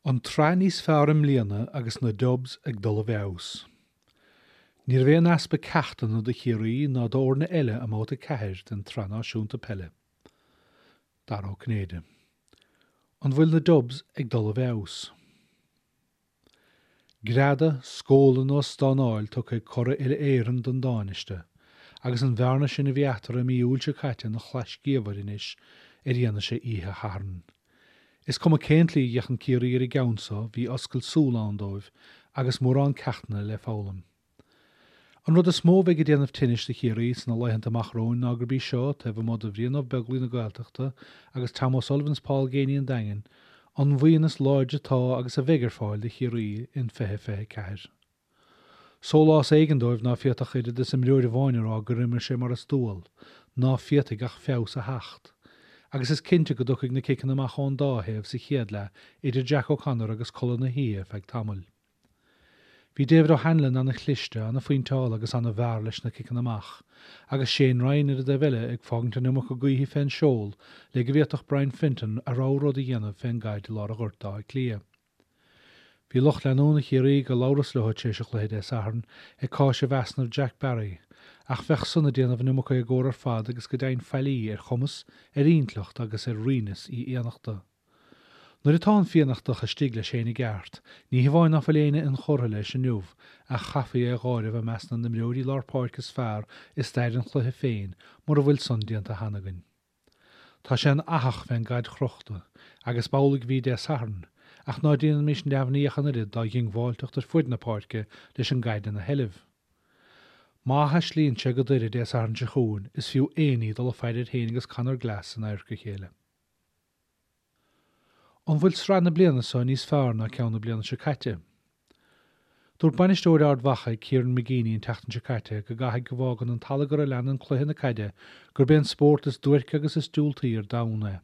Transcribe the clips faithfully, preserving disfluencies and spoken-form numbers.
An tsraith níos fearr i mbliana agus na Dubs ag dul i bhfeabhas. Ní raibh aon easpa ceachtanna do Chiarraí ná d'fhoirne eile i mbabhta ceathair den tSraith Náisiúnta Peile. Dara Ó Cinnéide. An bhfuil na Dubs ag dul i bhfeabhas? Greadadh, scóladh nó stánáil tugtha ag curaidh uile-Éireann don Tánaiste, agus an bhearna sin a bhí eatarthu i mí Iúil seo caite ina chlais gaofar anois ar fhianaise oíche Shathairn. Is cuma cén tslí a bhféachann Ciarraí ar an gceann seo, bhí oscailt súl ann dóibh agus mórán ceachtanna le foghlaim. An rud is mó a bheidh ag déanamh tinnis do Chiarraí sna laethanta amach romhainn ná gurb í seo, taobh amuigh de Bhrian Ó Beaglaoich na Gaeltachta agus Tom O'Sullivan is Paul Geaney an Daingin, an bhuíon is láidre atá agus a bheidh ar fáil do Chiarraí in fiche fiche ceathair. Sólás éigin dóibh ná féadfadh oiread is imreoir amháin a rá gur imir sé mar is dual, ná féadfaidh ach feabhas a theacht. Agus is cinnte go dtiocfaidh na ciceanna amach ón dá thaobh sa chéad leath idir Jack O'Connor agus codladh na hoíche feadh tamaill. Bhí David O'Hanlon ana-chliste, ana-phointeáil agus ana-mhear leis na ciceanna amach, agus Shane Ryan ar an dtaobh eile ag fágaint an iomarca gaoithe fén seol le go bhféadfadh Brian Fenton a rogha rud a dhéanamh fén gcaid i lár an ghoirt d'Áth Cliath. Bhí lucht leanúna Chiarraí gur labhras leo tar éis an chluiche Dé Sathairn ag cáiseamh easnamh Jack Barry, ach bheadh san ag déanamh an iomarca éagóra ar fad agus go deimhin faillí ar chumas, ar intleacht agus ar righneas Uí Fhiannachta. Nuair atá an Fiannachtach istigh leis féin i gceart, ní hamháin ná fuil éinne inchurtha leis inniu ach chaithfí é a dh'áireamh i measc na n-imreoirí lár páirce is fearr i stair an chluiche féin mura bhfuil san déanta cheana againn. Tá sé ina fhathach fén gcaid chrochta, agus b'amhlaidh a bhí Dé Sathairn, ach ná déanaimis neamhní ach an oiread dá dhiongbháilteacht ar fuid na páirce leis an gcaid ina sheilbh. Má thaislíonn sé go Doire Dé Sathairn seo chugainn, is fiú éinní dul ag faire air féin agus Conor Glass in adharca a chéile. An bhfuil sraith na bliana seo níos fearr ná ceann na bliana seo caite? Dúirt bainisteoir Ard Mhacha Kieran McGeeney an tseachtain seo caite go gcaithfidh go bhfágann an t-allagar a leanann cluiche na caide gurb é an spórt is duairce agus is diúltaí ar domhan é.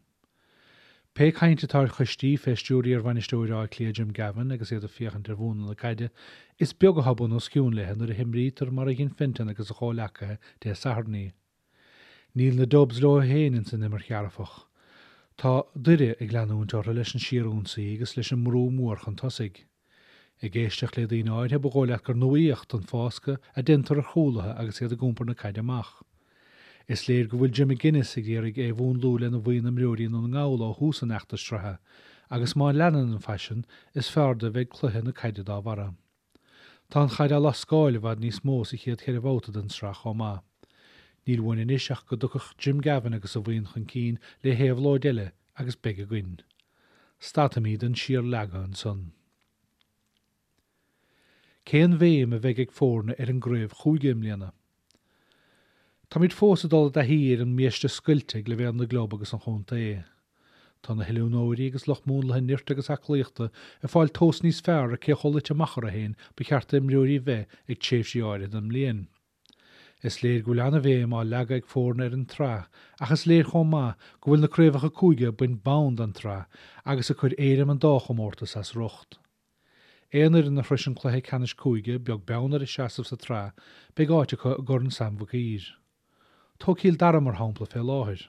Pé caint atá ar choistí fé stiúir iarbhainisteoir Átha Cliath Jim Gavin agus iad ag féachaint ar mhúnla na caide, is beag atá bun os cionn léi nuair a himrítear mar a dhein Fenton agus a chomhleacaithe Dé Sathairn í. Níl na Dubs leo féin ins an imirt dhearfach. Tá Doire ag leanúint orthu leis an síorionsaí agus leis an mbrú mór chun tosaigh. Ag éisteacht le daoine áirithe ba dhóigh leat gur nuaíocht an fáscadh a deintear ar chúlaithe agus iad ag iompar na caide amach. Is léir go bhfuil Jim McGuinness ag iarraidh é a mhúnlú lena bhuíon imreoirí i nDún na nGall ó thús an fheachtais sraithe agus má leanann an faisean is fearrde a bheidh cluiche na caide dá bharra. Tá an chaid á lascáil i bhfad níos mó sa chéad cheithre bhabhta den tsraith chomh maith. Níl uainn anois ach go dtiocfadh Jim Gavin agus a bhuíon chun cinn le héabhlóid eile agus beidh againn. Stadfaimid den síorleagadh ansan. Cén bhéim a bheidh ag foirne ar an gcraobh chúige i mbliana? Táimid fós ag dul i dtaithí ar an mbiaiste scoilte ag leibhéal na gclub agus an chontae. Tá na hoiliúnóirí agus lucht múnlaithe nirt agus aclaíochta ag fáil tomhas níos fearr ar cé chomh luite amach orthu féin ba cheart d'imreoirí bheith ag tréimhsí áirithe den mbliain. Is léir go bhfuil an-bhéim á leagadh ag foirne ar an tsraith ach is léir chomh maith go bhfuil na craobhacha cúige ag baint bonn den tsraith agus ag cur éirim an dá chomórtas as riocht. Aon fhoireann a shroiseann cluiche ceannais cúige, beag beann ar a seasamh sa tsraith, beidh áit acu i gCorn Sam Mhic Uidhir. Tóg Cill Dara mar shampla fé láthair.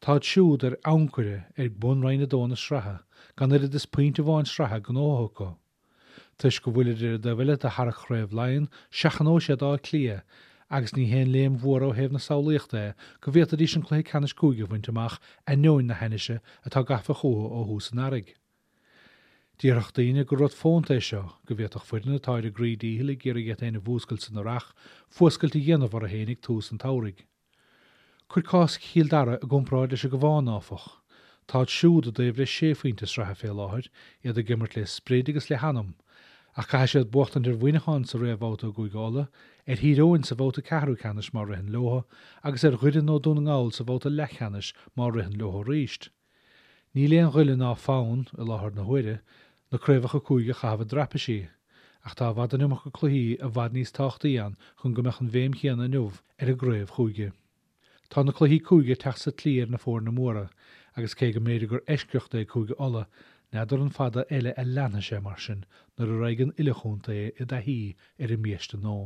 Táid siúd ar ancaire ag bun Roinn a Dó na sraithe, gan oiread is pointe amháin sraithe gnóthaithe acu. Toisc go bhfuilid ar an dtaobh eile de tharrac Chraobh Laighean, seachnóidh siad Áth Cliath, agus ní haon léim mhór ó thaobh na samhlaíochta é go bhféadfaidís an cluiche ceannais cúige a bhaint amach ainneoin na hainnise atá gafa chucu ó thús an earraigh. Déarfadh daoine gur rud fónta é seo, go bhféadfadh foireann atá ar a gcroí díchill ag iarraidh iad féin a mhúscailt san earrach, fuascailt a dhéanamh orthu féin ag tús an tsamhraidh. Cuir cás Chill Dara i gcomparáid leis an gCabhán, áfach. Táid siúd i dtaobh le sé phointe sraithe fé láthair, iad ag imirt le sprid agus le hanam, ach caithfidh siad buachtaint ar Mhuineachán sa réamhbhabhta i gCúige Uladh, ar Thír Eoghain sa bhabhta ceathrú ceannais má ritheann leo, agus ar Dhoire nó Dún na nGall sa bhabhta leathcheannais má ritheann leo arís. Níl aon ghoile ná fonn, i láthair na huaire, na craobhacha cúige a chaitheamh i dtraipisí, ach tá i bhfad an iomarca cluichí i bhfad níos tábhachtaí ann chun go mbeadh an bhéim chéanna inniu ar an gcraobh chúige. Tá na cluichí cúige ag teacht sa tslí ar na foirne móra, agus cé go mb'fhéidir gur eisceacht é Cúige Uladh, n'fheadar an fada eile a leanfaidh sé mar sin nuair a raghaidh an uile chontae i dtaithí ar an mbiaiste nua.